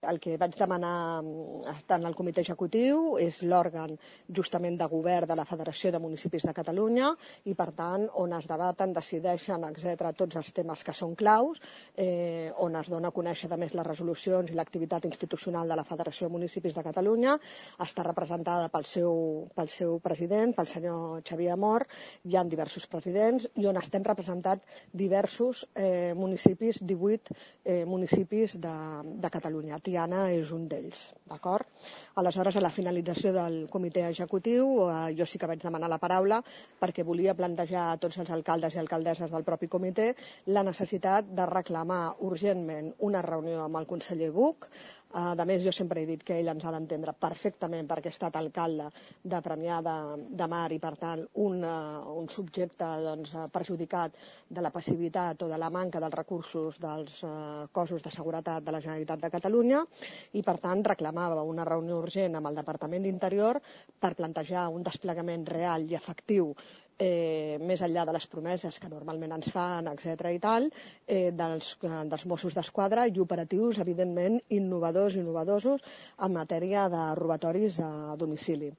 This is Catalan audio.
El que vaig demanar tant al comitè executiu és l'òrgan justament de govern de la Federació de Municipis de Catalunya i, per tant, on es debaten, decideixen, etc., tots els temes que són claus, on es dona a conèixer, a més, les resolucions i l'activitat institucional de la Federació de Municipis de Catalunya. Està representada pel seu president, pel senyor Xavier Amor. Hi ha diversos presidents i on estem representats diversos municipis, 18 municipis de Catalunya. Tiana és un d'ells, d'acord? Aleshores, a la finalització del comitè executiu, jo sí que vaig demanar la paraula perquè volia plantejar a tots els alcaldes i alcaldesses del propi comitè la necessitat de reclamar urgentment una reunió amb el conseller Buch. A més, jo sempre he dit que ell ens ha d'entendre perfectament perquè ha estat alcalde de Premià de Mar i, per tant, un subjecte perjudicat de la passivitat o de la manca dels recursos dels cossos de seguretat de la Generalitat de Catalunya i, per tant, reclamava una reunió urgent amb el Departament d'Interior per plantejar un desplegament real i efectiu més enllà de les promeses que normalment ens fan, etc. i tal, dels Mossos d'Esquadra i operatius, evidentment, innovadors en matèria de robatoris a domicili.